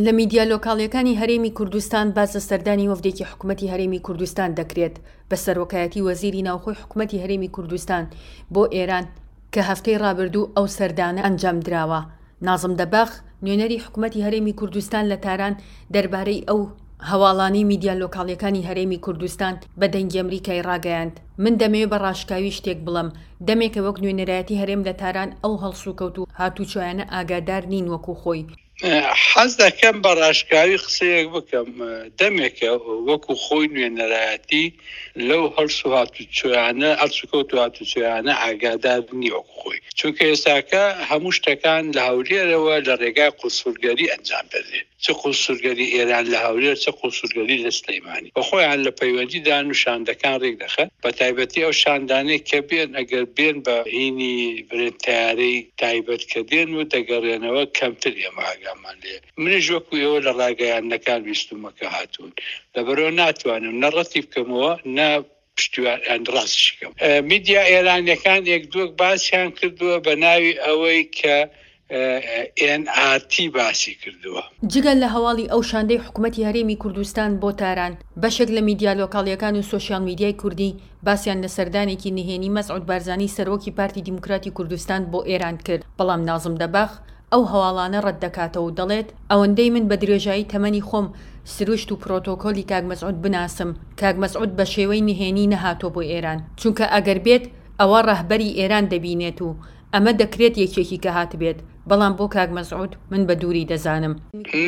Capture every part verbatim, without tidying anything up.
لە میدیا لۆکاڵیەکانی هەرێمی کوردستان باس لە سەردانی وەفدێکی حکومەتی هەرێمی کوردستان دەکرێت بە سەرۆکایەتی وەزیری ناوخۆی حکومەتی هەرێمی کوردستان بۆ ئێران کە هەفتەی ڕابردوو ئەو سەردانە ئەنجام دراوە. نازم دەباغ، نوێنەری حکومەتی هەرێمی کوردستان لە تاران دەربارەی ئەو هەواڵانەی میدیا لۆکاڵیەکانی هەرێمی کوردستان بە دەنگی ئەمریکای ڕاگەیاند، من دەمەوێت بە ڕاشکاوی شتێک بڵێم، دەمێکە وەک نوێنەرایەتی هەرێم لە تاران ئەو هەڵسوکەوت و هاتوچۆیانە ئاگادار نین وەکو خۆی. حەز دەکەم بە ڕاشکاوی قسەیەک بکەم، دەمێکە وەکو خۆی نوێنەرایەتی لەو هەڵس و هاتوچۆیانە هەڵسوکەوت و هاتوچۆیانە ئاگادار نییە وەکو خۆی، چونکە ئێستاکە هەموو شتەکان لە هەولێرەوە لە ڕێگای قونسولگەری ئەنجام دەدرێت، چ قونسولگەری ئێران لە هەولێر چ قونسولگەری لە سلەیمانی، بە خۆیان لە پەیوەندیدان و شاندەکان ڕێک دەخەن، بە تایبەتی ئەو شاندانەی کە بێن ئەگەر بێن بە هینی برێن تەیارەی تایبەت کە دێن و دەگەڕێنەوە کەمتر ئێمە ئاگامان لێ. منیش وەکو ئێوە لە ڕاگەیاندنەکان بیستومە کە هاتوون، لەبەرەوە ناتوانم نە ڕەتی بکەمەوە نە پشتیوان ڕاستیش بکەم. میدیا ئێرانیەکان یەک دووەک باسیان کردووە بە ناوی ئەوەی کە ئێن ئار تی باسی کردووە. جگە لە هەواڵی ئەو شاندەی حکومەتی هەرێمی کوردستان بۆ تاران، بەشێک لە میدیا لۆکاڵیەکان و سۆشیال میدیای کوردی باسیان لە سەردانێکی نهێنی مەسعود بارزانی سەرۆکی پارتی دیموکراتی کوردستان بۆ ئێران کرد، بەڵام نازم دەباغ ئەو هەواڵانە ڕەت دەکاتەوە و دەڵێت ئەوەندەی من بە درێژایی تەمەنی خۆم سروشت و پرۆتۆکۆلی کاک مەسعود بناسم، کاک مەسعود بە شێوەی نهێنی نەهاتووە بۆ ئێران، چونکە ئەگەر بێت ئەوە ڕەهبەری ئێران دەبینێت و ئەمە دەکرێت یەکێکی کە هاتبێت، بەڵام بۆ کاک مەسعود من بە دووری دەزانم.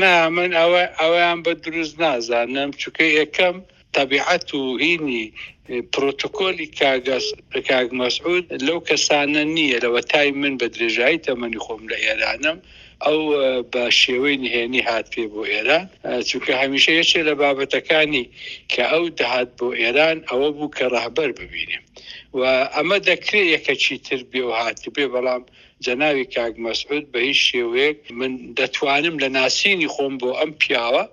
نا، من ئەوە ئەوەیان بە دروست نازانم، چونکە یەکەم تەبیعەت و هینی پرۆتۆکۆلی کاک مەسعود لەو کەسانە نییە. لەوەتای من بە درێژایی تەمەنی خۆم لە ئێرانم ئەو بە شێوەی نهێنی هات پێ بۆ ئێران، چونکە هەمیشە یەکێ لە بابەتەکانی کە ئەو دەهات بۆ ئێران ئەوە بوو کە ڕەهبەر ببینێ و ئەمە دەکرێت یەکەکی تر بێ و هاتبێ، بەڵام جەناوی کاک مەسعود بە هیچ شێوەیەک من دەتوانم لە ناسینی خۆم بۆ ئەم پیاوە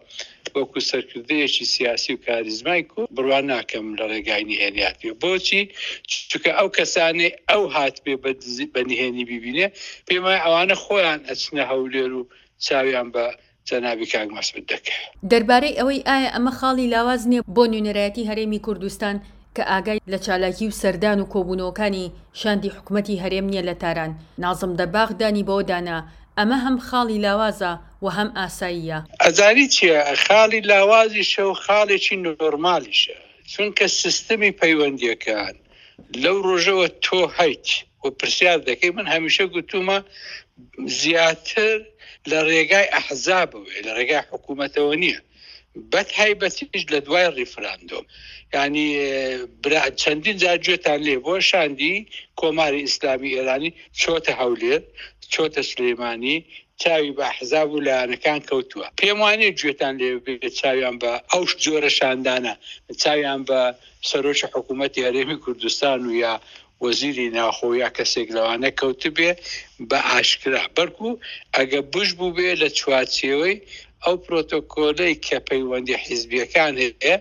وەکو سەرکردەیەکی سیاسی و کاریزمای کو بڕوا ناکەم لە ڕێگای نهێنی هاتبێ. بۆچی؟ چونکە ئەو کەسانەی ئەو هاتبێ بە نهێنی ببینێ پێم وایە ئەوانە خۆیان ئەچنە هەولێر و چاویان بە جەنابی کاک مەسعود دەکەوێت. دەربارەی ئەوەی ئایا ئەمە خاڵی لاواز نییە بۆ نوێنەرایەتی هەرێمی کوردستان کە ئاگای لە چالاکی و سەردان و کۆبوونەوەکانی شاندی حکومەتی هەرێم نییە لە تاران، نازم دەباغ دانی بەوە دانا ئەمە هەم خاڵی لاوازە و هەم ئاساییە. ئەزانی چییە؟ خاڵی لاوازیشە و خاڵێکی نۆرمالیشە، چونکە سیستمی پەیوەندیەکان لەو ڕۆژەوە تۆ هەیت و پرسیار دەکەی. من هەمیشە گوتومە زیاتر لە ڕێگای ئەحزابەوەیە، لە ڕێگای حکوومەتەوە نییە، بەتایبەتیش لە دوای ڕیفراندۆم. یعنی چەندین جار گوێتان لێ بووە شاندی کۆماری ئیسلامی ئێرانی چۆتە هەولێر، چۆتە سلێمانی، چاوی بە ئەحزاب و لایەنەکان کەوتووە. پێم وانەیە گوێتان لێ بێت چاویان بە ئەو جۆرە شاندانە، چاویان بە سەرۆکی حکوومەتی هەرێمی کوردستان و یا وەزیری ناخۆ یا کەسێک لەوانە کەوتبێ بە ئاشکرا، بەڵکو ئەگە بش بوو بێ لە چوارچێوەی ئەو پرۆتۆکۆلەی کە پەیوەندی حیزبیەکان هەیە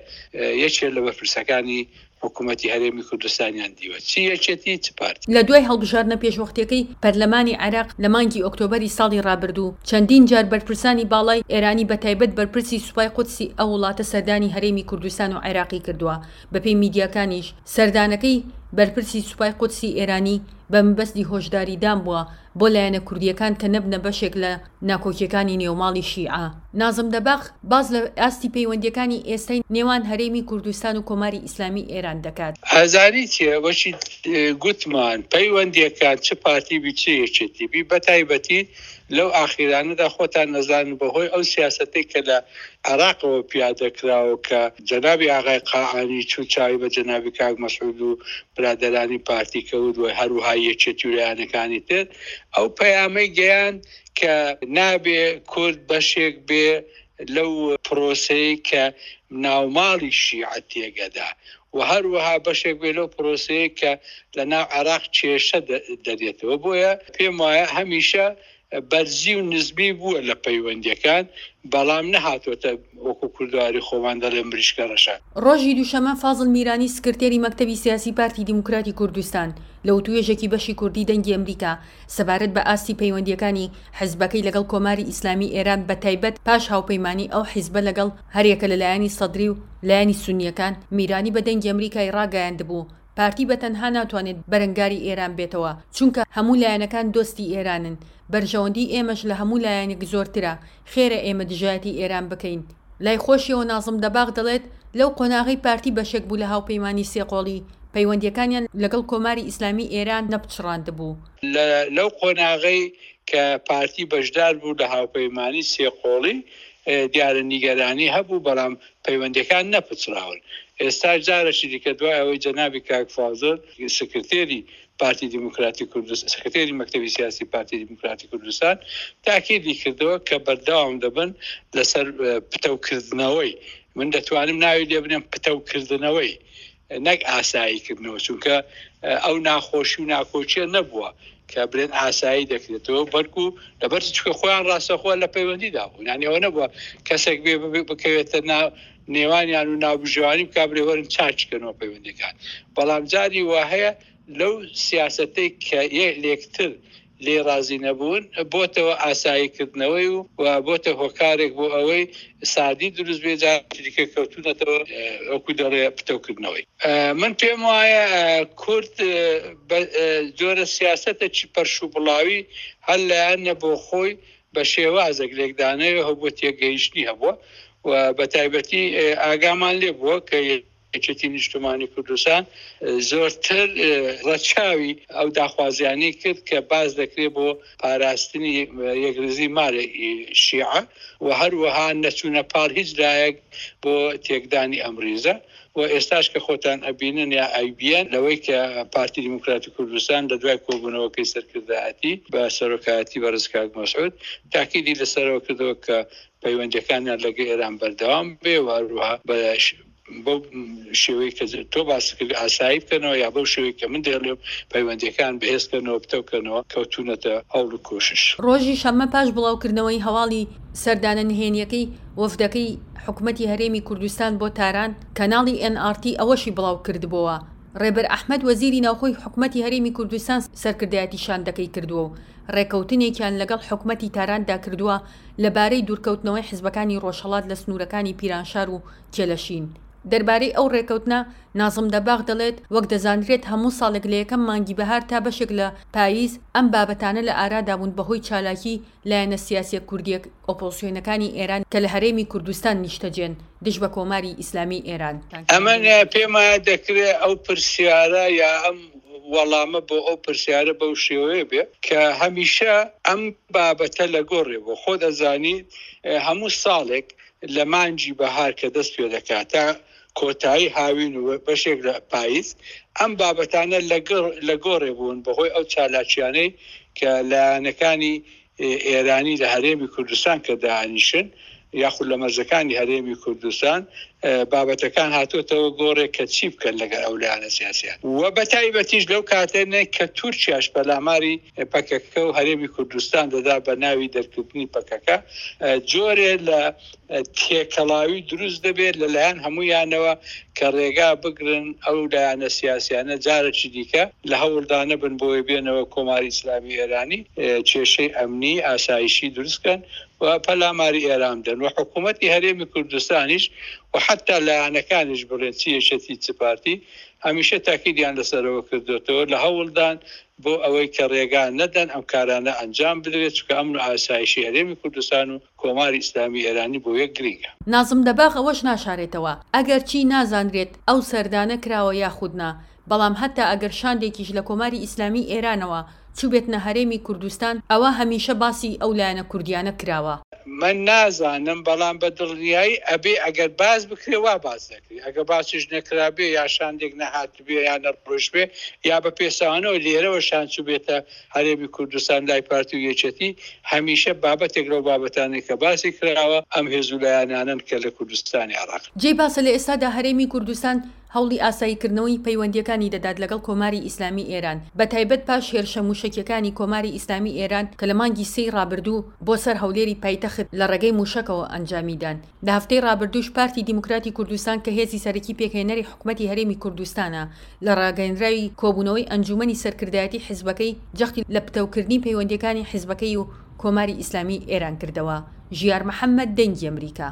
یەکێ لە بەرپرسەکانی حکوومەتی هەرێمی کوردستانیان دیوە، چی یەکێتی چ پارتی. لە دوای هەڵبژاردنە پێشوەختیەکەی پەرلەمانی عێراق لە مانگی ئۆکتۆبەری ساڵی ڕابردوو چەندین جار بەرپرسانی باڵای ئێرانی بە تایبەت بەرپرسی سوپای قودسی ئەو وڵاتە سەردانی هەرێمی کوردستان و عێراقی کردووە. بەپێی میدیاکانیش سەردانەکەی بەرپرسی سوپای قودسی ئێرانی بە مەبەستی هۆشداریدان بووە بۆ لایەنە کوردیەکان کە نەبنە بەشێک لە ناکۆکیەکانی نێوماڵی شیعە. نازم دەباغ باز لە ئاستی پەیوەندیەکانی ئێستای نێوان هەرێمی کوردستان و کۆماری ئیسلامی ئێران دەکات. ئازاری چییە؟ وەچی گوتمان پەیوەندیەکان چ پارتی بی چ یەکێتی بی، بەتایبەتی لەو ئاخیرانەدا خۆتان نەزانن بەهۆی ئەو سیاسەتەی کە لە عێراقەوە پیادە کراوە کە جەنابی ئاغای قائانی چوو چاوی بە جەنابی کاک مەسعود و برادەرانی پارتی کەوت و هەروەها یەکێتی و لایەنەکانی تر، ئەو پەیامەی گەیاند کە نابێ کورد بەشێک بێ لەو پرۆسەی کە ناوماڵی شیعە تێگەدا و هەروەها بەشێک بێ لەو پرۆسەیە کە لە ناو عێراق کێشە دەرێتەوە. بۆیە پێم وایە هەمیشە بەرزی و نزمی بووە لە پەیوەندیەکان، بەڵام نەهاتووەتە وەکو کوردواری خۆمان دەڵێن مریشکە ڕەشە. ڕۆژی دووشەممە فازڵ میرانی سکرتێری مەکتەبی سیاسی پارتی دیموکراتی کوردستان لە وتوێژێکی بەشی کوردی دەنگی ئەمریکا سەبارەت بە ئاستی پەیوەندیەکانی حزبەکەی لەگەڵ کۆماری ئیسلامی ئێران بە تایبەت پاش هاوپەیمانی ئەو حزبە لەگەڵ هەریەکە لە لایەنی سەدری و لایەنی سونیەکان، میرانی بە دەنگی ئەمریکای ڕاگەیاندبوو پارتی بە تەنها ناتوانێت بەرەنگاری ئێران بێتەوە، چونکە هەموو لایەنەکان دۆستی ئێرانن، بەرژەوەندی ئێمەش لە هەموو لایەنێک زۆرترە، خێرە ئێمە دژایەتی ئێران بکەین. لای خۆشیەوە نازم دەباغ دەڵێت لەو قۆناغەی پارتی بەشێک بوو لە هاوپەیمانی سێقۆڵی، پەیوەندیەکانیان لەگەڵ کۆماری ئیسلامی ئێران نەپچڕاندبوو. لەو قۆناغەی کە پارتی بەشدار بوو لە هاوپەیمانی سێقۆڵی دیارە نیگەرانی هەبوو، بەڵام پەیوەندیەکان نەپچڕاون. ئێستا جارێکی دیکە دوای ئەوەی جەنابی کاک فازڵ سکرتێری پارتی دیموکراتی کوردستان، سکرتێری مەکتەبی سیاسی پارتی دیموکراتی کوردستان تاکیدی کردەوە کە بەردەوام دەبن لەسەر پتەوکردنەوەی، من دەتوانم ناوی لێ بنێم پتەوکردنەوەی نەک ئاساییکردنەوە، چونکە ئەو ناخۆشی و ناکۆچیە نەبووە کە بڵێن ئاسایی دەکرێتەوە، بەڵکو لەبەر چونکە خۆیان ڕاستەخۆ لە پەیوەندیدا بوون، یعنی ئەوە نەبووە کەسێک بێ بکەوێتە نێوانیان و ناوبژیوانی بکا بڵێ وەرن چاککەنەوە پەیوەندیەکان. بەڵام جاری وا هەیە لەو سیاسەتەی کە لێکتر لێ ڕازی نەبوون بۆتەوە ئاساییکردنەوەی و بۆتە هۆکارێک بۆ ئەوەی سادی دروست بێ، جارێکی دیکە کەوتونەتەوە وەکو دەڵێ پتەوکردنەوەی. من پێم وایە کورد جۆرە سیاسەتێکی پەرش و بڵاوی هەر لایەنە بۆ خۆی بە شێوازێک لێکدانەوە هەبووە، تێگەیشتنی هەبووە و بە تایبەتی ئاگامان لێ بووە کە یەکێتی نیشتمانی کوردستان زۆرتر ڕەچاوی ئەو داخوازیانەی کرد کە باز دەکرێت بۆ پاراستنی یەکڕیزی ماڵی شیعە و هەروەها نەچوونە پاڵ هیچ لایەک بۆ تێکدانی ئەم ڕیزە. و ئێستاش کە خۆتان ئەبینن یا ئەیبیەن لەوەی کە پارتی دیموکراتی کوردستان لە دوای کۆبوونەوەکەی سەرکردایەتی بە سەرۆکایەتی بەڕێز کاک مەسعود تاکیدی لەسەرەوە کردەوە کە پەیوەندیەکانیان لەگەڵ ئێران بەردەوام بێ و هەروەها بە بەو شێوەی کە تۆ باس کرد ئاسایی بکەنەوە یا بەو شێوەی کە من دەڵێم پەیوەندیەکان بەهێزکەنەوە بتەوکەنەوە کەوتونەتە هەوڵ و کۆشش. ڕۆژی شەممە پاش بڵاوکردنەوەی هەواڵی سەردانە نهێنیەکەی وەفدەکەی حکومەتی هەرێمی کوردستان بۆ تاران، کەناڵی ئێن ئاڕ تی ئەوەشی بڵاو کردبووە ڕێبەر ئەحمەد وەزیری ناوخۆی حکومەتی هەرێمی کوردستان سەرکردایەتی شاندەکەی کردووە و ڕێکەوتنێکیان لەگەڵ حکومەتی تاراندا کردووە لەبارەی دوورکەوتنەوەی حزبەکانی ڕۆژهەڵات لە سنوورەکانی پیرانشار و کێلەشین. دەربارەی ئەو ڕێکەوتنە نازم دەباغ دەڵێت وەک دەزانرێت هەموو ساڵێک لە یەکەم مانگی بەهار تا بەشێک لە پاییز ئەم بابەتانە لە ئارادا بوون بەهۆی چالاکی لایەنە سیاسیە کوردیە ئۆپۆزسیۆنەکانی ئێران کە لە هەرێمی کوردستان نیشتەجێن دژ بە کۆماری ئیسلامی ئێران. ئەمە پێما دەکرێت ئەو پرسیارە یا ئەم وەڵامە بۆ ئەو پرسیارە بەو شێوەیە بێ کە هەمیشە ئەم بابەتە لە گۆڕێ بۆ خۆ دەزانیت هەموو ساڵێک لە مانگی بەهار کە دەست پێ دەکات تا کۆتایی هاوین و بەشێک لە پاییز ئەم بابەتانە لە گۆڕێ بوون بەهۆی ئەو چالاکیانەی کە لایەنەکانی ئێرانی لە هەرێمی کوردستان کە دانیشن یاخود لە مەرزەکانی هەرێمی کوردستان بابەتەکان هاتووەتەوە گۆڕێک کە چی بکەن لەگەڵ ئەو لایەنە سیاسیان و بە تایبەتیش لەو کاتێنێ کە تورکیاش پەلاماری پەکەکە و هەرێمی کوردستان دەدا بە ناوی دەرکردنی پەکەکە، جۆرێ لە تێکەڵاوی دروست دەبێت لەلایەن هەمویانەوە کە ڕێگا بگرن ئەو لایەنە سیاسیانە جارێکی دیکە لە هەوڵدانە بن بۆی بێنەوە کۆماری ئیسلامی ئێرانی کێشەی ئەمنی ئاسایشی دروستکەن و پەلاماری ئێران بدەن و حکوومەتی هەرێمی کوردستانیش و حتی لایەنەکانیش بڵێن چی یەکێتی چ پارتی هەمیشە تاکیدیان لەسەرەوە کردوێتەوە لە هەوڵدان بۆ ئەوەی کە ڕێگا نەدەن ئەم کارانە ئەنجام بدرێت، چونکە ئەمن و ئاسایشی هەرێمی کوردستان و کۆماری ئیسلامی ئێرانی بۆ یەک گرنگە. نازم دەباغ ئەوەش ناشارێتەوە ئەگەر چی نازانرێت ئەو سەردانە کراوە یاخود نا، بەڵام حتی ئەگەر شاندێکیش لە کۆماری ئیسلامی ئێرانەوە چووبێتنە هەرێمی کوردستان ئەوە هەمیشە باسی ئەو لایەنە کوردیانە کراوە. من نازانم، بەڵام بە دڵنیایی ئەبێ ئەگەر باز بکرێ وا باز دەکرێ، ئەگەر باسیش نەکرابێ یا شاندێک نەهاتبێ یا نەڕۆیشتبێ یا بە پێسانەوە لێرەوە شان چووبێتە هەرێمی کوردستان لای پارتی و یەکێتی، هەمیشە بابەتێک لەو بابەتانەی کە باسی کراوە ئەم هێز و لایەنانەن کە لە کوردستانی عێراق. جێی باسە لە ئێستادا هەرێمی کوردستان هەوڵی ئاساییکردنەوەی پەیوەندییەکانی دەدات لەگەڵ کۆماری ئیسلامی ئێران، بەتایبەت پاش هێرشە مووشەکییەکانی کۆماری ئیسلامی ئێران کە لە مانگی سێی ڕابردوو بۆ سەر هەولێری پایتەخت لە ڕێگەی مووشەکەوە ئەنجامی دان. لە هەفتەی ڕابردووش پارتی دیموکراتی کوردستان کە هێزی سەرەکی پێکهێنەری حکومەتی هەرێمی کوردستانە، لە ڕاگەیەنراوی کۆبوونەوەی ئەنجوومەنی سەرکردایەتی حیزبەکەی جەختی لە پتەوکردنی پەیوەندییەکانی حیزبەکەی و کۆماری ئیسلامی ئێران کردەوە. ژیار محەمەد، دەنگی ئەمریکا.